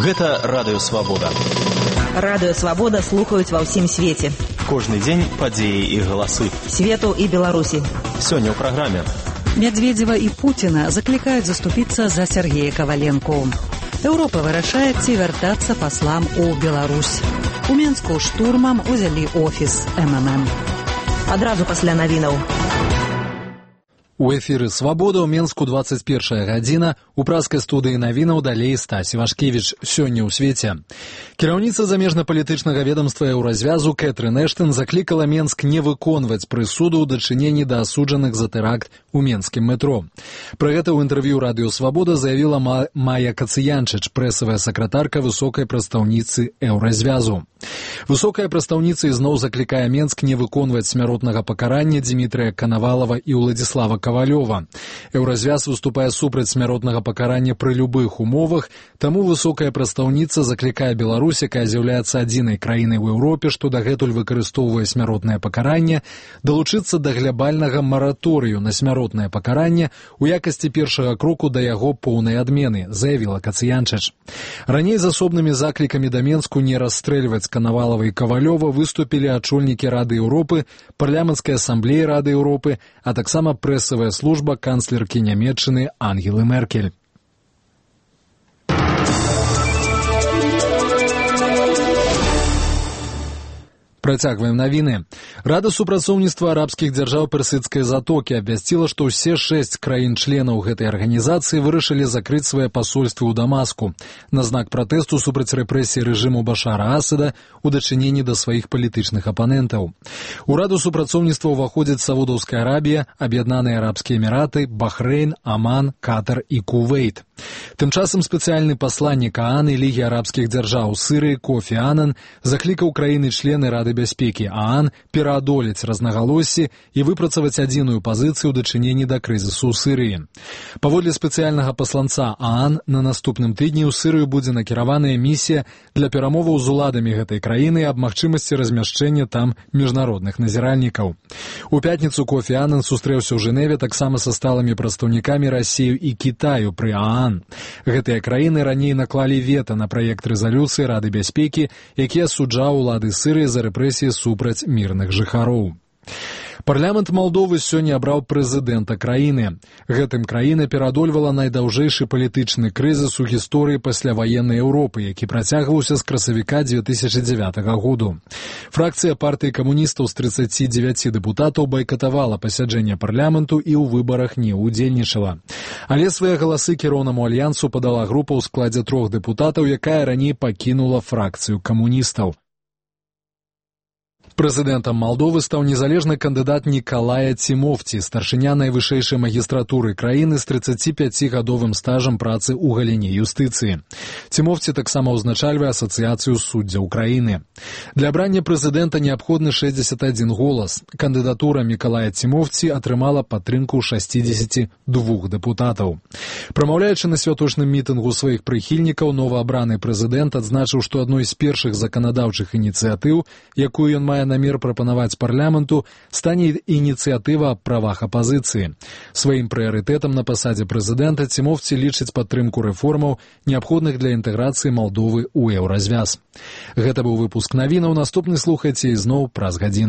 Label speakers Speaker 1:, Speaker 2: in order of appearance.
Speaker 1: Гэта Радыё Свабода.
Speaker 2: Радыё Свабода слухаюць ва ўсім свеце.
Speaker 1: Кожны дзень падзеі і галасы.
Speaker 2: Свету і Беларусі.
Speaker 1: Сёння ў праграме.
Speaker 3: Медведзева і Пуціна заклікаюць заступіцца за Сергея Коваленко. Еўропа вырашае, ці вяртацца паслам у Беларусь. У Менску штурмам узялі офіс МММ.
Speaker 2: Адразу пасля навінаў.
Speaker 4: У эфіры «Свабода» ў Менску 21 гадзіна. У праскай студыі навінаў далей Стась Івашкевіч. Сёння ў свеце. Кіраўніца замежна-палітычнага ведамства Еўразвязу Кэтрын Эштон заклікала Менск не выконваць прысуду ў дачыненні да асуджаных за тэракт у менскім метро. Пра гэта ў інтэрв'ю «Радыё Свабода» заявіла Майя Кацыянчыч, прэсавая сакратарка высокай прадстаўніцы Еўразвязу. Высокая прадстаўніца ізноў заклікае Менск не выконваць смяротнага пакарання Дмітрыя Канавалава і Уладзіслава Ковалёва. Еўразвяз выступае супраць смяротнага пакарання пры любых умовах, таму высокая прадстаўніца заклікае Беларусь, якая з'яўляецца адзінай краінай у Еўропе, што дагэтуль выкарыстоўвае смяротнае пакаранне, далучыцца да глябальнага мараторыю на смяротнае пакаранне у якасці першага кроку да яго поўнай адмены, заявіла Кацыянчыч. Раней з асобнымі заклікамі да Менску не расстрэльваць Канавалава і Ковалёва выступілі ачольнікі Рады Еўропы, парламенцкай асамблеі Рады Еўропы, а таксама прэсавая служба канцлеркі Нямецчыны Ангелы Меркель. Працягваем навіны. Рада супрацоўніцтва арабскіх дзяржаў персідскай затокі абвясціла, што ўсе 6 краін-членаў гэтай арганізацыі вырашылі закрыць свае пасольствы ў Дамаску на знак пратэсту супраць рэпрэсій рэжыму Башара Асада у дачыненні да сваіх палітычных апанентаў. У раду супрацоўніцтва ўваходзяць Саудаўская Арабія, Аб'яднаныя Арабскія Эміраты, Бахрэйн, Аман, Катар і Кувейт. Тым часам спецыяльны пасланнік ААН і Лігі арабскіх дзяржаў Сырыі Кофі Анан заклікаў краіны-члены Рады бяспекі ААН пераадолець разнагалоссі і выпрацаваць адзіную пазіцыю ў дачыненні да крызісу ў Сырыі. Паводле спецыяльнага пасланца ААН, на наступным тыдні ў Сырыю будзе накіраваная місія для перамоваў з уладамі гэтай краіны аб магчымасці размяшчэння там міжнародных назіральнікаў. У пятніцу Кофі Анан сустрэўся ў Жэневе таксама са сталымі прадстаўнікамі Расіі і Кітаю пры ААН. Гэтыя краіны раней наклалі вета на праект рэзалюцыі Рады бяспекі, які асуджаў улады Сырыі за рэпрэсіі супраць мірных жыхароў. Парламент Малдовы сёння абраў прэзідэнта краіны. Гэтым краіна пераадольвала найдаўжэйшы палітычны крызіс у гісторыі пасляваеннай Еўропы, які працягваўся з красавіка 2009 году. Фракцыя партыі камуністаў з 39 дэпутатаў байкатавала пасяджэнне парламенту і ў выбарах не ўдзельнічала. Але свае галасы кіроўнаму альянсу падала група ў складзе 3 дэпутатаў, якая раней пакінула фракцыю камуністаў. Прэзідэнтам Малдовы стаў незалежны кандыдат Нікалая Цімофці, старшыня найвышэйшай магістратуры краіны з 35-гадовым стажам працы ў галіне юстыцыі. Цімофці таксама ўзначальвае асацыяцыю суддзяў краіны. Для абрання прэзідэнта неабходны 61 голас. Кандыдатура Нікалая Цімофці атрымала падтрымку 62 дэпутатаў. Прамаўляючы на святочным мітынгу сваіх прыхільнікаў, новаабраны прэзідэнт адзначыў, што адной з першых заканадаўчых ініцыятыў, якую ён мае намер прапанаваць парламенту, стане ініцыятыва аб правах апазіцыі. Сваім прыярытэтам на пасадзе прэзідэнта Цімофці лічыць падтрымку рэформаў, неабходных для інтэграцыі Малдовы ў Еўразвяз. Гэта быў выпуск навінаў. Наступны слухайце ізноў праз гадзіну.